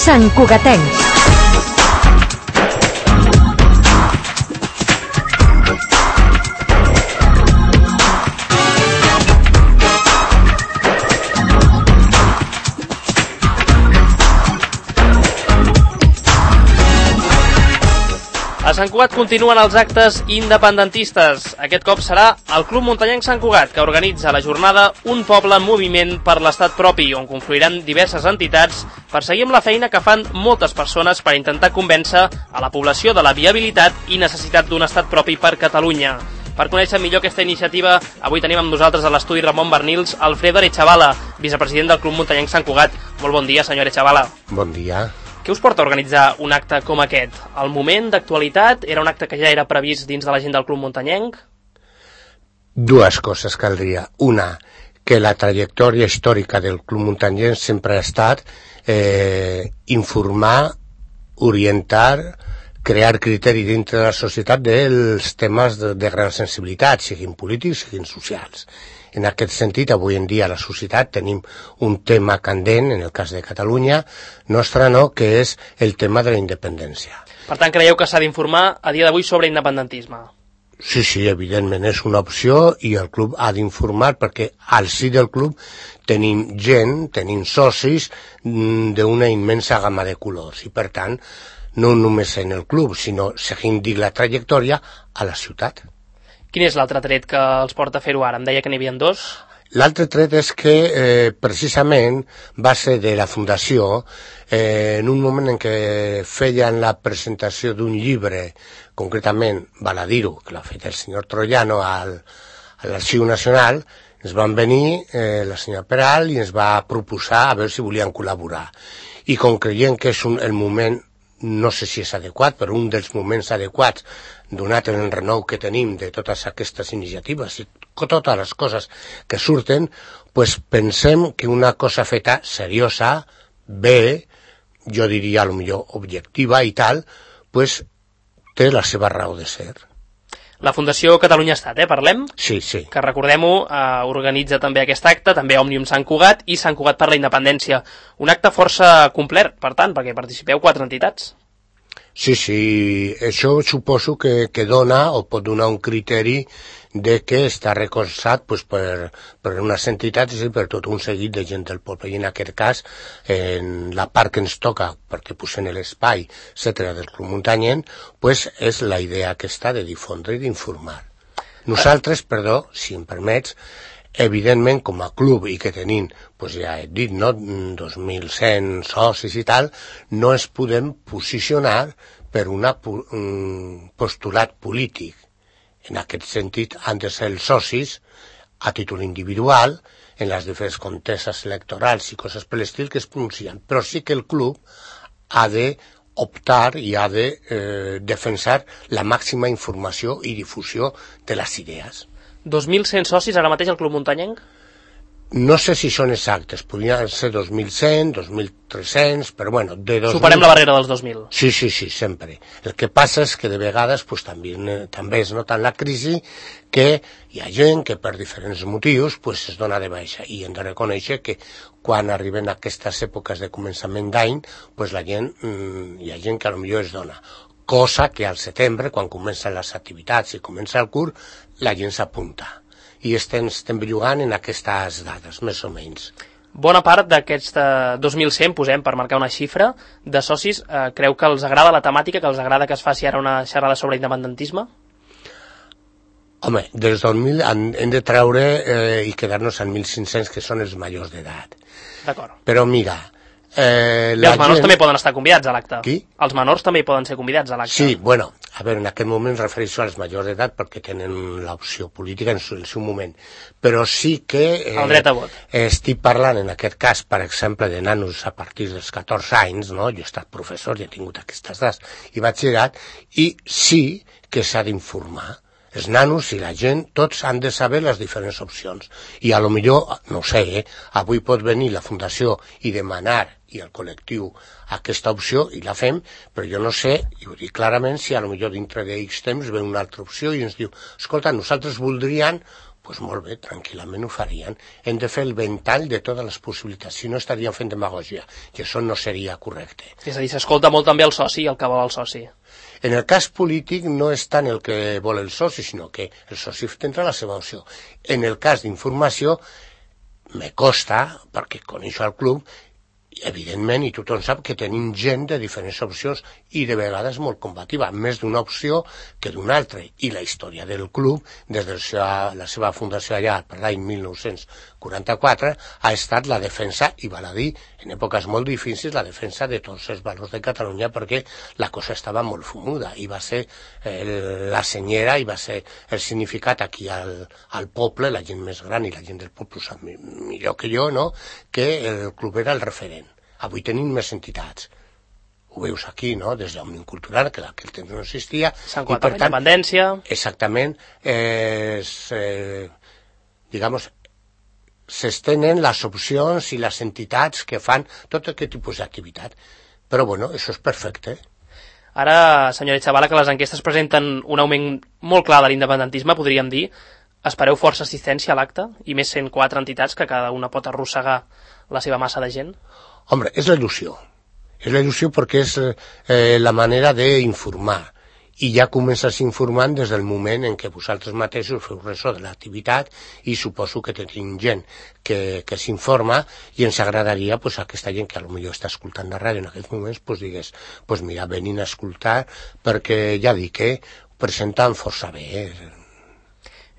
santcugatencs. A Sant Cugat continuen els actes independentistes. Aquest cop serà el Club Muntanyenc Sant Cugat, que organitza la jornada Un poble en moviment per l'estat propi, on confluiran diverses entitats per seguir amb la feina que fan moltes persones per intentar convèncer a la població de la viabilitat i necessitat d'un estat propi per Catalunya. Per conèixer millor aquesta iniciativa, avui tenim amb nosaltres a l'estudi Ramon Bernils, Alfredo Arechavala, vicepresident del Club Muntanyenc Sant Cugat. Molt bon dia, senyor Arechavala. Bon dia. Què us porta a organitzar un acte com aquest? El moment d'actualitat? Era un acte que ja era previst dins de la gent del Club Muntanyenc? Dues coses caldria. Una, que la trajectòria històrica del Club Muntanyenc sempre ha estat informar, orientar, crear criteri dintre de la societat dels temes de gran sensibilitat, siguin polítics, siguin socials. En aquest sentit, avui en dia a la societat tenim un tema candent, en el cas de Catalunya, nostre no, que és el tema de la independència. Per tant, creieu que s'ha d'informar a dia d'avui sobre independentisme? Sí, evidentment, és una opció i el club ha d'informar perquè al si del club tenim gent, tenim socis d'una immensa gamma de colors i per tant, no només en el club, sinó seguint la trajectòria a la ciutat. Quin és l'altre tret que els porta a fer-ho ara? Em deia que n'hi havia dos. L'altre tret és que precisament va ser de la Fundació en un moment en què feien la presentació d'un llibre, concretament, val a dir-ho, que l'ha fet el senyor Troiano a l'Arxiu Nacional, ens van venir la senyora Peral i ens va proposar a veure si volien col·laborar. I com creiem que és el moment, no sé si és adequat, però un dels moments adequats, donat el renou que tenim de totes aquestes iniciatives i totes les coses que surten, pues pensem que una cosa feta seriosa, bé, jo diria potser objectiva i tal, pues té la seva raó de ser. La Fundació Catalunya Estat, parlem? Sí. Que recordem-ho, organitza també aquest acte, també Òmnium Sant Cugat i Sant Cugat per la Independència. Un acte força complet, per tant, perquè participeu 4 entitats. Sí, això suposo que dona o pot donar un criteri de que està recolzat pues, per unes entitats i per tot un seguit de gent del poble. I en aquest cas, en la part que ens toca, perquè posem l'espai, etc., del Club Muntanyenc, pues, és la idea aquesta de difondre i d'informar. Nosaltres, si em permets, evidentment, com a club i que tenim, pues ja he dit, no, 2.100 socis i tal, no ens podem posicionar per un postulat polític. En aquest sentit, han de ser els socis a títol individual en les diferents conteses electorals i coses per l'estil que es pronuncien. Però sí que el club ha d'optar i ha de defensar la màxima informació i difusió de les idees. 2.100 socis ara mateix al Club Muntanyenc? No sé si són exactes, podrien ser 2.100, 2.300, però bueno... Superem la barrera dels 2.000. Sí, sempre. El que passa és que de vegades pues, també es nota en la crisi que hi ha gent que per diferents motius pues, es dona de baixa i hem de reconèixer que quan arriben aquestes èpoques de començament d'any pues, hi ha gent que potser es dona. Cosa que al setembre, quan comencen les activitats i comença el curs, la gent s'apunta. I estem bellugant en aquestes dades, més o menys. Bona part d'aquests 2.100, posem per marcar una xifra, de socis, creu que els agrada la temàtica, que els agrada que es faci ara una xerrada sobre independentisme? Home, dels 2.000 hem de treure i quedar-nos en 1.500, que són els majors d'edat. D'acord. Però mira... els menors també poden estar convidats a l'acte. Qui? Els menors també poden ser convidats a l'acte. Sí, bueno, a veure, en aquest moment em refereixo als majors d'edat perquè tenen l'opció política en el seu moment. Però sí que... el dret a vot. Estic parlant, en aquest cas, per exemple, de nanos a partir dels 14 anys, no? Jo he estat professor i he tingut aquestes edats i batxillerat, i sí que s'ha d'informar. Els nanos i la gent, tots han de saber les diferents opcions. I a lo millor, no ho sé, avui pot venir la Fundació i demanar i el col·lectiu aquesta opció i la fem, però jo no sé, i ho dic clarament, si a lo millor dintre d'X temps ve una altra opció i ens diu, escolta, nosaltres voldríem Doncs molt bé, tranquil·lament ho farien. Hem de fer el ventall de totes les possibilitats, si no estaríem fent demagògia, i això no seria correcte. És a dir, s'escolta molt també el soci, el que vol el soci. En el cas polític no és tant el que vol el soci, sinó que el soci tindrà la seva opció. En el cas d'informació, me costa, perquè coneixo el club, evidentment, i tothom sap que tenim gent de diferents opcions i de vegades molt combativa, més d'una opció que d'una altra. I la història del club, des de la seva fundació allà per l'any 1944, ha estat la defensa, i val a dir, en èpoques molt difícils, la defensa de tots els valors de Catalunya, perquè la cosa estava molt fumuda, i va ser la senyera, i va ser el significat aquí al poble, la gent més gran i la gent del poble ho sap millor que jo, no?, que el club era el referent. Avui tenim més entitats. Ho veus aquí, no?, des d'Òmnium Cultural, que aquell temps no existia. Sant Quat de la Independència. Exactament. S'estenen les opcions i les entitats que fan tot aquest tipus d'activitat. Però, bueno, això és perfecte. Ara, senyora Chavala, que les enquestes presenten un augment molt clar de l'independentisme, podríem dir, espereu força assistència a l'acte? I més 104 entitats que cada una pot arrossegar la seva massa de gent? Hombre, és la il·lusió. És la il·lusió perquè és la manera d'informar. I ja comences informant des del moment en què vosaltres mateixos feu ressò de l'activitat i suposo que tenim gent que s'informa i ens agradaria pues, a aquesta gent que potser està escoltant la ràdio en aquests moments pues, digués, pues mira, venin a escoltar perquè ja dic que presenten força bé.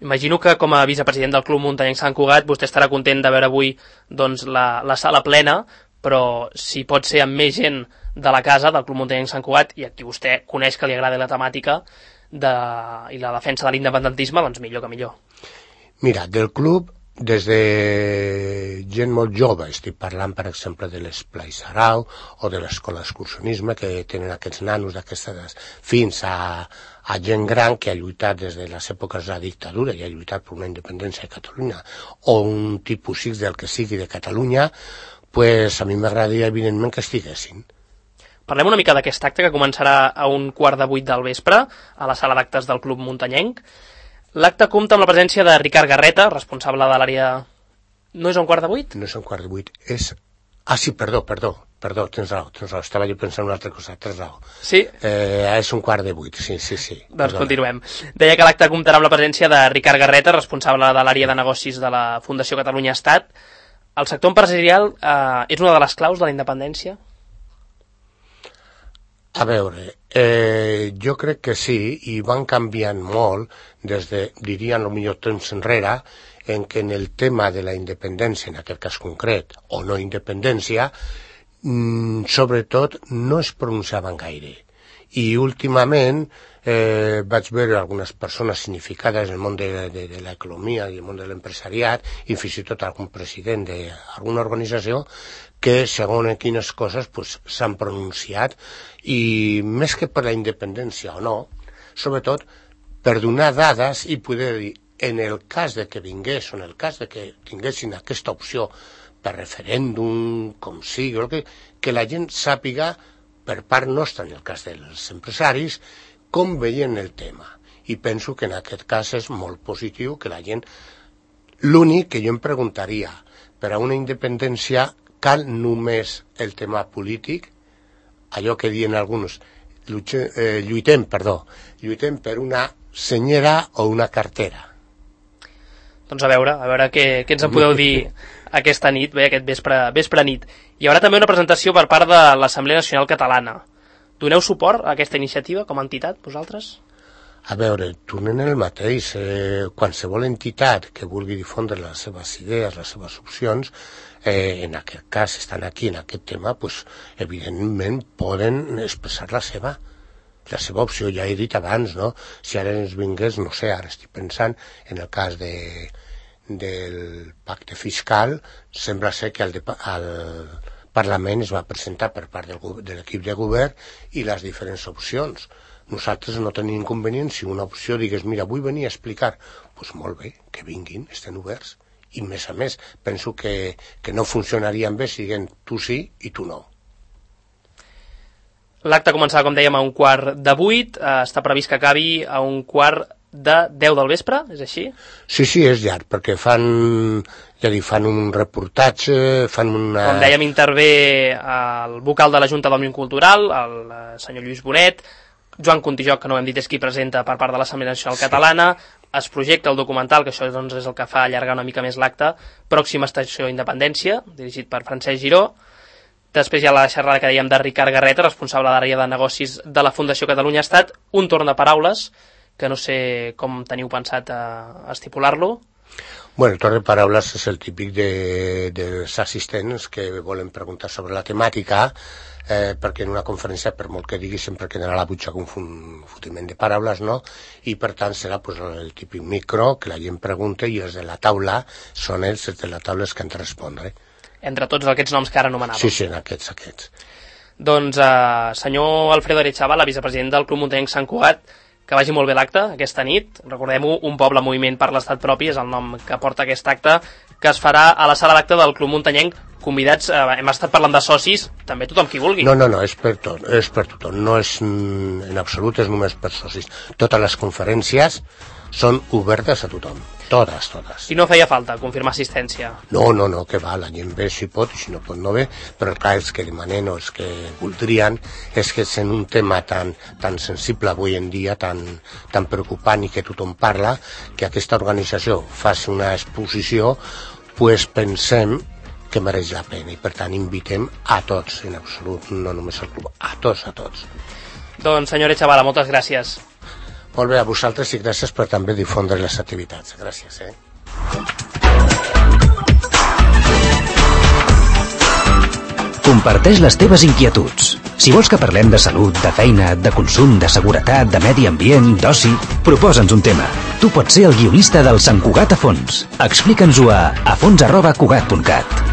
Imagino que com a vicepresident del Club Muntanyenc Sant Cugat vostè estarà content de veure avui doncs, la sala plena, però si pot ser amb més gent de la casa del Club Muntanyenc Sant Cugat i a qui vostè coneix que li agrada la temàtica i la defensa de l'independentisme, doncs millor que millor. Mira, del club, des de gent molt jove, estic parlant per exemple de l'Esplai Sarau o de l'escola d'excursionisme que tenen aquests nanos d'aquestes edats, fins a gent gran que ha lluitat des de les èpoques de la dictadura i ha lluitat per una independència de Catalunya o un tipus X del que sigui de Catalunya, pues a mi m'agradaria evidentment que estiguessin. Parlem una mica d'aquest acte que començarà a 7:15 del vespre a la sala d'actes del Club Muntanyenc. L'acte compta amb la presència de Ricard Garreta, responsable de l'àrea... No és a 7:15? No és a 7:15, és... Ah, sí, perdó, tens raó. Estava jo pensant en una altra cosa, tens raó. Sí? És 7:15, sí. Doncs continuem. Deia que l'acte comptarà amb la presència de Ricard Garreta, responsable de l'àrea de negocis de la Fundació Catalunya Estat. El sector empresarial és una de les claus de la independència? A veure, jo crec que sí, i van canviant molt des de, diríem, potser temps enrere, en què en el tema de la independència, en aquest cas concret, o no independència, sobretot no es pronunciaven gaire. I últimament vaig veure algunes persones significades en el món de l'economia i el món de l'empresariat, i fins i tot algun president d'alguna organització, que segons en quines coses s'han pronunciat, i més que per la independència o no, sobretot per donar dades i poder dir, en el cas de que vingués, o en el cas de que tinguessin aquesta opció per referèndum, com sigui, que la gent sàpiga, per part nostra, en el cas dels empresaris, com veien el tema. I penso que en aquest cas és molt positiu que la gent... L'únic que jo em preguntaria, per a una independència cal només el tema polític, allò que diuen alguns, lluitem per una senyera o una cartera. Doncs a veure què ens en podeu dir aquesta nit, bé, aquest vespre nit. Hi haurà també una presentació per part de l'Assemblea Nacional Catalana. Doneu suport a aquesta iniciativa com a entitat, vosaltres? A veure, tornem el mateix. Qualsevol entitat que vulgui difondre les seves idees, les seves opcions, en aquest cas estan aquí en aquest tema, doncs, evidentment poden expressar la seva opció. Ja he dit abans, no? Si ara ens vingués, no sé, ara estic pensant en el cas del pacte fiscal, sembla ser que al Parlament es va presentar per part de l'equip de govern i les diferents opcions. Nosaltres no tenim inconvenient si una opció digués, mira, vull venir a explicar, doncs molt bé, que vinguin, estan oberts. I més a més, penso que no funcionarien bé si diguem tu sí i tu no. L'acte començarà, com dèiem, a 7:15, està previst que acabi a 7:15 de 10 del vespre, és així? Sí, és llarg, perquè fan un reportatge, fan una... Com dèiem, intervé el vocal de la Junta d'Òmnium Cultural, el senyor Lluís Bonet, Joan Contijoc, que no ho hem dit, és qui presenta per part de l'Assemblea Nacional Catalana, es projecta el documental, que això doncs, és el que fa allargar una mica més l'acte, Pròxima Estació Independència, dirigit per Francesc Giró. Després hi ha la xerrada que dèiem de Ricard Garreta, responsable de l'àrea de negocis de la Fundació Catalunya Estat, un torn de paraules, que no sé com teniu pensat estipular-lo. Bueno, el torn de paraules és el típic dels assistents que volen preguntar sobre la temàtica, perquè en una conferència, per molt que digui, sempre quedarà a la butxaca un fotiment de paraules, no? I per tant serà pues, el típic micro, que la gent pregunta i els de la taula són els de la taula els que han de respondre. Entre tots aquests noms que ara anomenàvem. Sí, aquests. Doncs, senyor Alfredo Arechavala, vicepresident del Club Muntanyenc Sant Cugat, que vagi molt bé l'acte aquesta nit. Recordem-ho, Un poble en moviment per l'estat propi és el nom que porta aquest acte, que es farà a la sala d'acte del Club Muntanyenc. Convidats, hem estat parlant de socis, també tothom qui vulgui. No, és per tothom, no és en absolut, és només per socis. Totes les conferències són obertes a tothom, totes. I no feia falta confirmar assistència? No, que va, la gent ve si pot i si no pot no ve, però clar, els que demanen o els que voldrien és que en un tema tan sensible avui en dia, tan preocupant i que tothom parla, que aquesta organització faci una exposició, pues pensem que mereix la pena i per tant invitem a tots, en absolut, no només al club, a tots. Doncs senyor Arechavala, moltes gràcies. Molt bé, a vosaltres i gràcies per també difondre les activitats. Gràcies, Comparteix les teves inquietuds. Si vols que parlem de salut, de feina, de consum, de seguretat, de medi ambient, d'oci, proposa'ns un tema. Tu pots ser el guionista del Sant Cugat a fons. Explica'ns-ho a fons@cugat.cat.